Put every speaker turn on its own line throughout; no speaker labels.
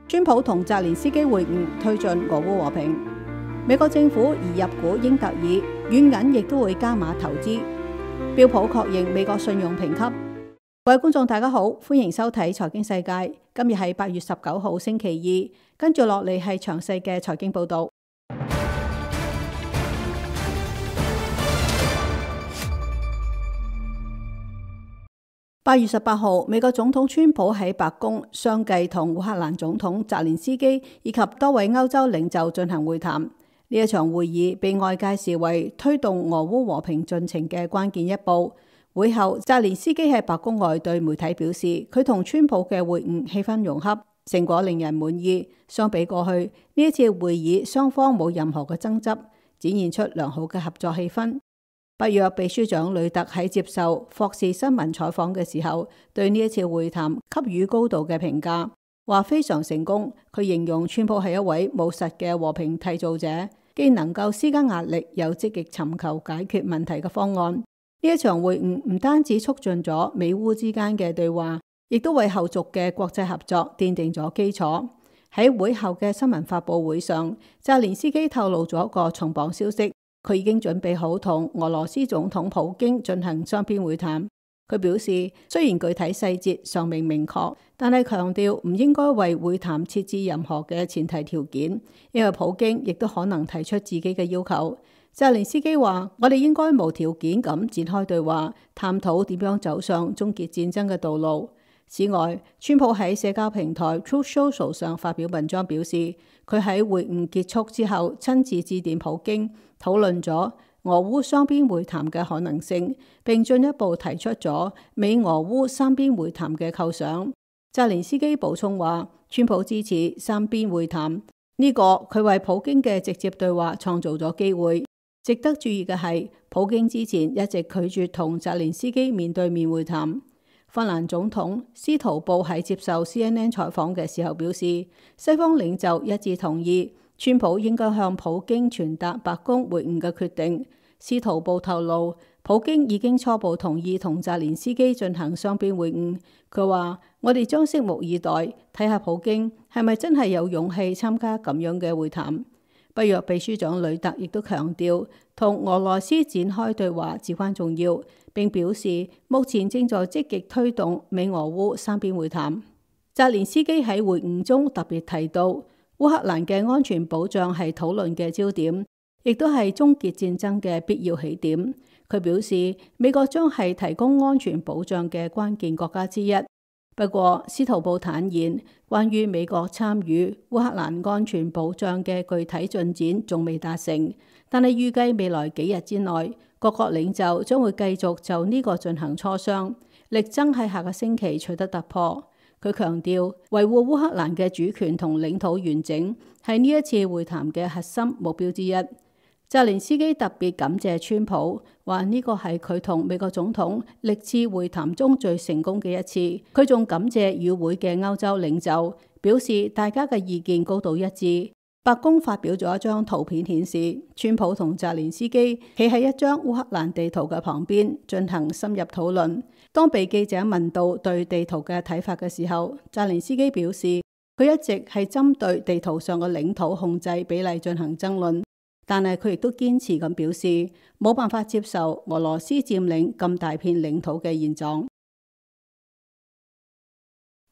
川普同澤連斯基會晤，推進俄烏和平。美國政府移入股英特爾，軟銀亦都會加碼投資。標普確認美國信用評級。各位觀眾大家好，歡迎收睇財經世界。今日係8月19號星期二，跟住落嚟係詳細嘅財經報道。8月18號，美國總統川普喺白宮相繼同烏克蘭總統澤連斯基以及多位歐洲領袖進行會談。呢一場會議被外界視為推動俄烏和平進程嘅關鍵一步。會後，澤連斯基喺白宮外對媒體表示，佢同川普嘅會晤氣氛融洽，成果令人滿意。相比過去，呢一次會議雙方冇任何嘅爭執，展現出良好嘅合作氣氛。北約秘書長呂特喺接受霍士新聞採訪嘅時候，對呢一次會談給予高度嘅評價，話非常成功。佢形容川普係一位務實嘅和平締造者，既能夠施加壓力，又積極尋求解決問題嘅方案。呢一場會晤唔單止促進咗美烏之間嘅對話，亦都為後續嘅國際合作奠定咗基礎。喺會後嘅新聞發佈會上，澤連斯基透露咗一個重磅消息，佢已經準備好同俄羅斯總統普京進行雙邊會談。佢表示，雖然具體細節尚未明確，但係強調唔應該為會談設置任何嘅前提條件，因為普京亦都可能提出自己嘅要求。澤連斯基話：我哋應該無條件咁展開對話，探討點樣走上終結戰爭嘅道路。此外，川普喺社交平台 Truth Social 上發表文章表示，佢喺會晤結束之後親自致電普京，討論咗俄烏雙邊會談嘅可能性，並進一步提出咗美俄烏三邊會談嘅構想。澤連斯基補充話，川普支持三邊會談，呢個佢為普京嘅直接對話創造咗機會。值得注意嘅係，普京之前一直拒絕同澤連斯基面對面會談。芬蘭總統司徒布喺接受 CNN 採訪嘅時候表示，西方領袖一致同意川普應該向普京傳達白宮會晤嘅決定。司徒布透露，普京已經初步同意同澤連斯基進行雙邊會晤。佢話：我哋將拭目以待，睇下普京係咪真係有勇氣參加咁樣嘅會談。北約秘書長呂特亦都強調，同俄羅斯展開對話至關重要，並表示目前正在積極推動美俄烏三邊會談。澤連斯基喺會晤中特別提到，烏克蘭嘅安全保障係討論嘅焦點，亦都係終結戰爭嘅必要起點。佢表示，美國將係提供安全保障嘅關鍵國家之一。不過，司徒布坦言，關於美國參與烏克蘭安全保障嘅具體進展仲未達成，但係預計未來幾日之內，各國領袖將會繼續就呢個進行磋商，力爭喺下個星期取得突破。佢強調，維護烏克蘭嘅主權同領土完整係呢一次會談嘅核心目標之一。澤連斯基特別感謝川普，話呢個係佢同美國總統歷次會談中最成功嘅一次。佢仲感謝與會嘅歐洲領袖，表示大家嘅意見高度一致。白宮發表咗一張圖片顯示，川普同澤連斯基企喺一張烏克蘭地圖嘅旁邊進行深入討論。當被記者問到對地圖嘅睇法嘅時候，澤連斯基表示，佢一直係針對地圖上嘅領土控制比例進行爭論。但係佢亦都堅持咁表示，冇辦法接受俄羅斯佔領咁大片領土嘅現狀。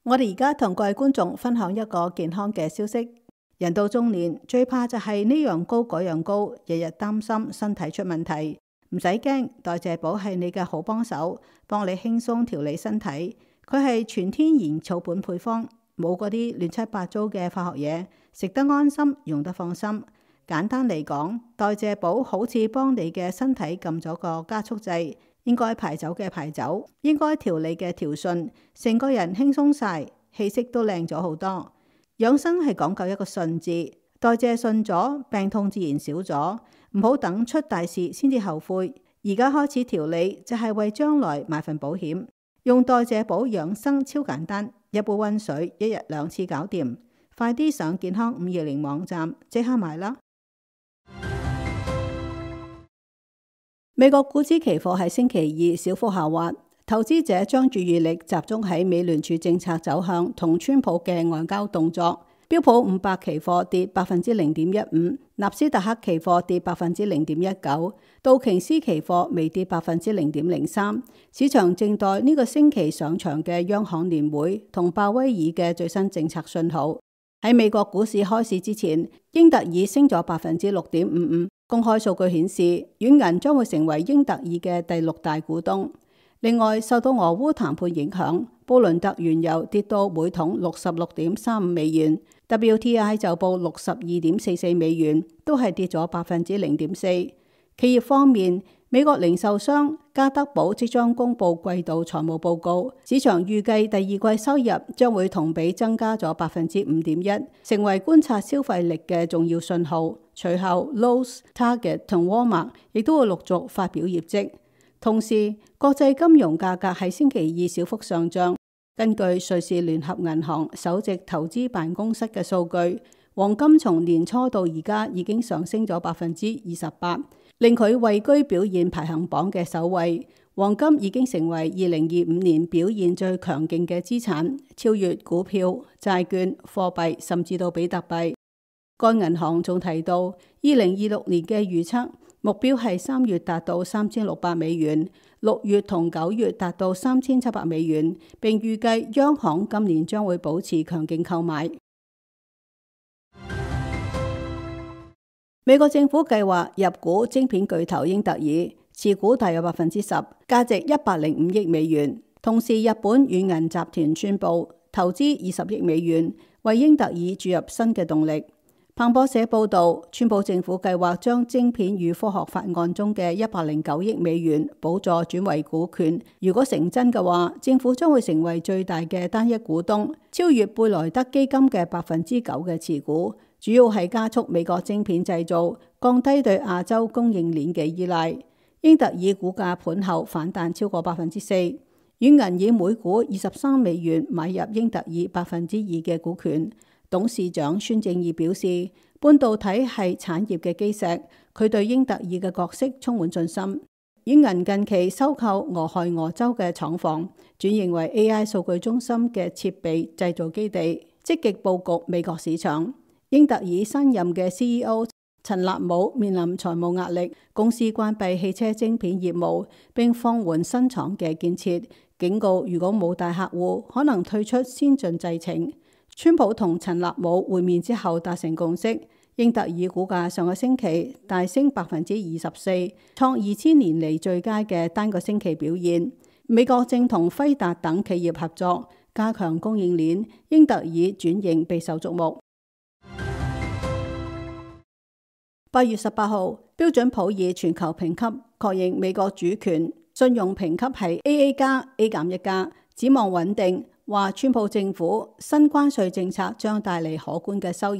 我哋而家同各位觀眾分享一個健康嘅消息。人到中年最怕就係呢樣高嗰樣高，日日擔心身體出問題。唔使驚，代謝寶係你嘅好幫手，幫你輕鬆調理身體。佢係全天然草本配方，冇嗰啲亂七八糟嘅化學嘢，食得安心，用得放心。簡單嚟講，代謝寶好似幫你嘅身體撳咗個加速掣，應該排走嘅排走，應該調理嘅調順，成個人輕鬆晒，氣色都靚咗好多。養生係講究一個順字，代謝順咗，病痛自然少咗。唔好等出大事先至後悔，而家開始調理就係為將來買份保險。用代謝寶養生超簡單，一杯溫水，一日2次搞掂。快啲上健康520網站即刻買啦！美國股指期貨喺星期二小幅下滑，投資者將注意力集中喺美聯儲政策走向同川普嘅外交動作。標普500期貨跌0.15%，納斯達克期貨跌0.19%，道瓊斯期貨微跌0.03%。市場靜待呢個星期上場嘅央行年會同鮑威爾嘅最新政策信號。喺美國股市開市之前，英特爾升咗6.55%。公開數據顯示，軟銀將會成為英特爾嘅第6大股東。另外，受到俄烏談判影響，布倫特原油跌到每桶66.35美元。WTI 就報62.44美元，都係跌咗0.4%。企業方面，美國零售商家得寶即將公布季度財務報告，市場預計第二季收入將會同比增加咗5.1%，成為觀察消費力嘅重要信號。隨後 Lowe's、Target 同 Walmart 亦都會陸續發表業績。同時，國際金融價格喺星期二小幅上漲。根據瑞士聯合銀行首席投資辦公室嘅數據，黃金從年初到而家已經上升咗28%，令佢位居表現排行榜嘅首位。黃金已經成為2025年表現最強勁嘅資產，超越股票、債券、貨幣，甚至到比特幣。該銀行仲提到，2026年嘅預測目標係3月達到3600美元，6月同9月達到3700美元，並預計央行今年將會保持強勁購買。美國政府計劃入股晶片巨頭英特爾，持股大約10%，價值105億美元。同時，日本軟銀集團宣布投資20億美元，為英特爾注入新嘅動力。彭博社報道，川普政府計劃將晶片與科學法案中嘅109億美元補助轉為股權。如果成真嘅話，政府將會成為最大嘅單一股東，超越貝萊德基金嘅9%嘅持股。主要係加速美國晶片製造，降低對亞洲供應鏈嘅依賴。英特爾股價盤後反彈超過4%。軟銀以每股23美元買入英特爾2%嘅股權。董事長孫正義表示，半導體係產業嘅基石，佢對英特爾嘅角色充滿信心。軟銀近期收購俄亥俄州嘅廠房，轉型為 AI 數據中心嘅設備製造基地，積極佈局美國市場。英特爾新任嘅 CEO 陳立武面臨財務壓力，公司關閉汽車晶片業務，並放緩新廠嘅建設，警告如果冇大客戶，可能退出先進製程。川普同陳立武會面之後達成共識，英特爾股價上個星期大升24%，創2000年嚟最佳嘅單個星期表現。美國正同輝達等企業合作，加強供應鏈，英特爾轉型備受矚目。8月18號，標準普爾全球評級確認美國主權信用評級係 AA+、A-1+，展望穩定。話川普政府新關稅政策將帶嚟可觀嘅收入，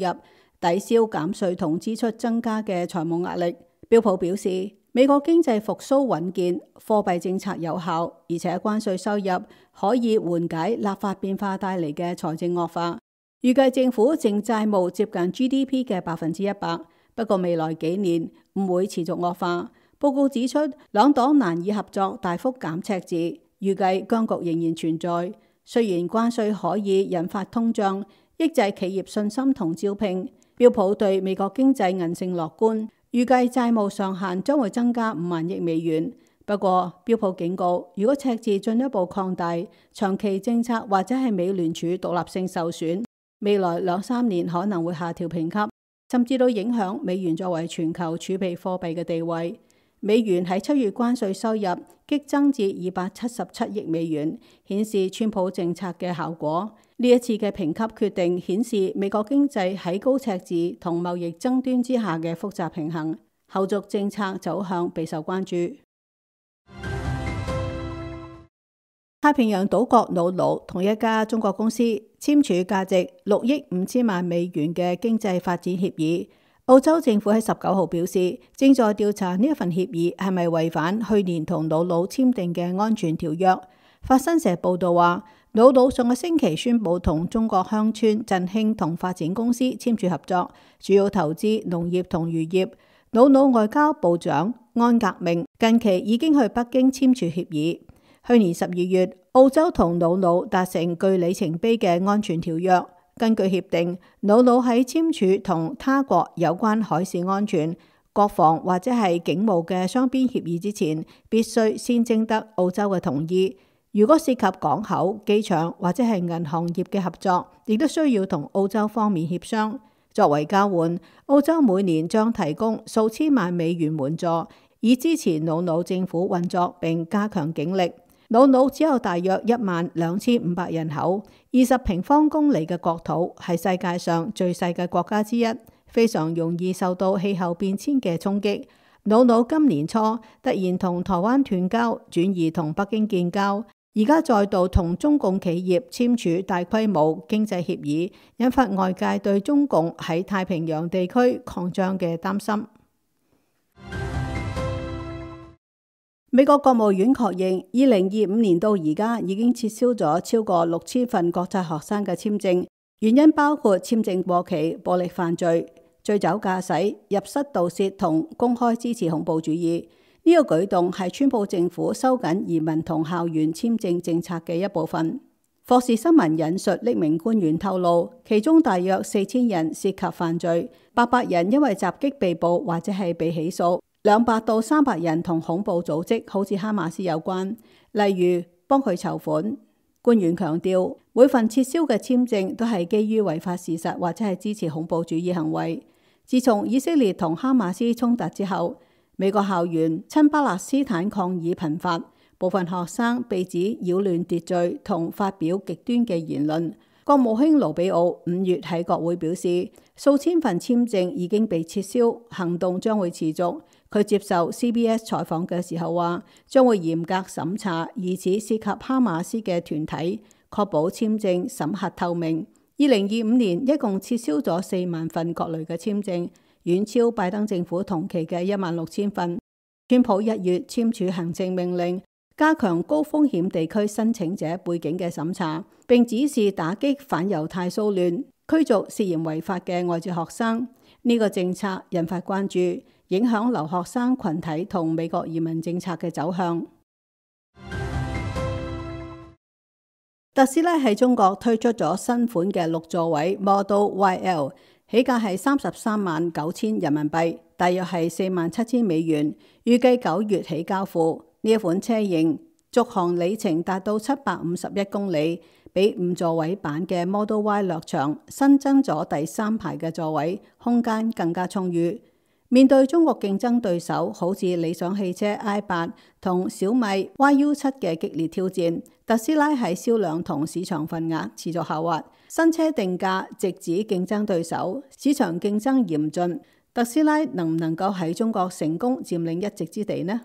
抵消減稅同支出增加嘅財務壓力。標普表示，美國經濟復甦穩健，貨幣政策有效，而且關稅收入可以緩解立法變化帶嚟嘅財政惡化。預計政府淨債務接近 GDP 嘅100%，不過未來幾年唔會持續惡化。報告指出，兩黨難以合作大幅減赤字，預計僵局仍然存在。雖然關稅可以引發通脹，抑制企業信心同招聘，標普對美國經濟韌性樂觀，預計債務上限將會增加5萬億美元。不過，標普警告，如果赤字進一步擴大，長期政策或者係美聯儲獨立性受損，未來2-3年可能會下調評級，甚至都影響美元作為全球儲備貨幣嘅地位。美元喺7月關稅收入激增至277億美元，顯示川普政策嘅效果。呢一次嘅評級決定顯示美國經濟喺高赤字同貿易爭端之下嘅複雜平衡，後續政策走向備受關注。太平洋島國瑙魯同一家中國公司簽署價值6億5千萬美元嘅經濟發展協議。澳洲政府喺19號表示，正在調查呢一份協議係咪違反去年同瑙魯簽訂嘅安全條約。法新社報道話，瑙魯上個星期宣布同中國鄉村振興同發展公司簽署合作，主要投資農業同漁業。瑙魯外交部長安格明近期已經去北京簽署協議。去年12月，澳洲同瑙魯達成具里程碑嘅安全條約。根據協定，瑙魯喺簽署同他國有關海事安全、國防或者係警務嘅雙邊協議之前，必須先徵得澳洲嘅同意。如果涉及港口、機場或者係銀行業嘅合作，亦都需要同澳洲方面協商。作為交換，澳洲每年將提供數千萬美元援助，以支持瑙魯政府運作並加強警力。瑙魯只有大約12500人口，20平方公里嘅國土，係世界上最細嘅國家之一，非常容易受到氣候變遷嘅衝擊。瑙魯今年初突然同台灣斷交，轉移同北京建交，而家再度同中共企業簽署大規模經濟協議，引發外界對中共喺太平洋地區擴張嘅擔心。美國國務院確認，2025年到而家已經撤銷咗超過6000份國際學生嘅簽證，原因包括簽證過期、暴力犯罪、醉酒駕駛、入室盜竊同公開支持恐怖主義。呢個舉動係川普政府收緊移民同校園簽證政策嘅一部分。霍士新聞引述匿名官員透露，其中大約4000人涉及犯罪，800人因為襲擊被捕或者係被起訴，200到300人同恐怖組織好似哈馬斯有關，例如幫佢籌款。官員強調，每份撤銷嘅簽證都係基於違法事實或者係支持恐怖主義行為。自從以色列同哈馬斯衝突之後，美國校園親巴勒斯坦抗議頻發，部分學生被指擾亂秩序同發表極端嘅言論。國務卿盧比奧5月喺國會表示，數千份簽證已經被撤銷，行動將會持續。佢接受 CBS 採訪嘅時候話，將會嚴格審查疑似涉及哈馬斯嘅團體，確保簽證審核透明。2025年一共撤銷咗4萬份各類嘅簽證，遠超拜登政府同期嘅16000份。川普1月簽署行政命令，加強高風險地區申請者背景嘅審查，並指示打擊反猶太騷亂，驅逐涉嫌違法嘅外籍學生。呢個政策引發關注，影響留學生群體同美國移民政策嘅走向。特斯拉喺中國推出咗新款嘅6座位 Model YL， 起價係339000人民幣，大約係47000美元，預計9月起交付。呢一款車型續航里程達到751公里，比5座位版嘅 Model Y 略長，新增咗第3排嘅座位，空間更加充裕。面對中國競爭對手好似理想汽車 i8 同小米 YU7 嘅激烈挑戰，特斯拉喺銷量同市場份額持續下滑，新車定價直指競爭對手，市場競爭嚴峻。特斯拉能唔能夠喺中國成功佔領一席之地呢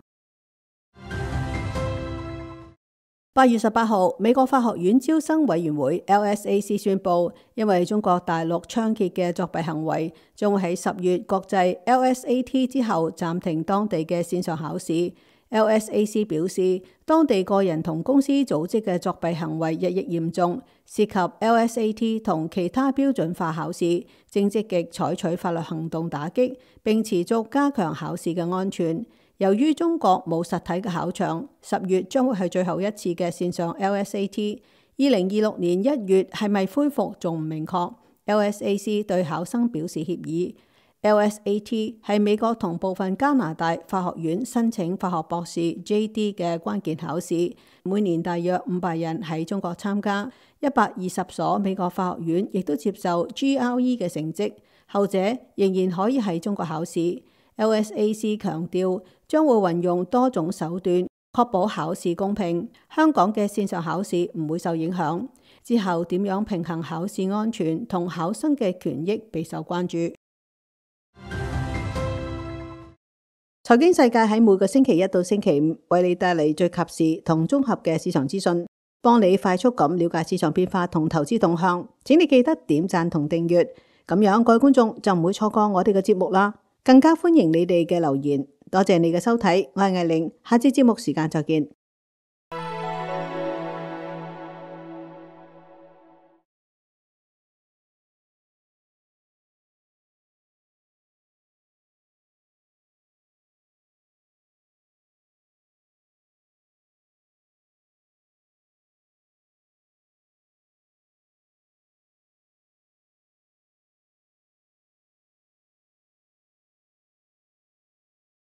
？8月18號，美國法學院招生委員會 LSAC 宣布，因為中國大陸猖獗嘅作弊行為，將會喺10月國際 LSAT 之後暫停當地嘅線上考試。LSAC 表示，當地個人同公司組織嘅作弊行為日益嚴重，涉及 LSAT 同其他標準化考試，正積極採取法律行動打擊，並持續加強考試嘅安全。由於中國冇實體嘅考場，10月將會係最後一次嘅線上 LSAT。2026年1月係咪恢復仲唔明確。LSAC 對考生表示歉意。LSAT 係美國同部分加拿大法學院申請法學博士 JD 嘅關鍵考試，每年大約500人喺中國參加，120所美國法學院亦都接受 GRE 嘅成績，後者仍然可以喺中國考試。LSAC 強調將會運用多種手段確保考試公平，香港嘅線上考試唔會受影響。之後點樣平衡考試安全同考生嘅權益備受關注。財經世界喺每個星期1到星期5為你帶嚟最及時同綜合嘅市場資訊，幫你快速咁了解市場變化同投資動向。請你記得點讚同訂閱，咁樣各位觀眾就唔會錯過我哋嘅節目啦。更加歡迎你哋嘅留言，多謝你嘅收睇，我係艾玲，下次節目時間再見。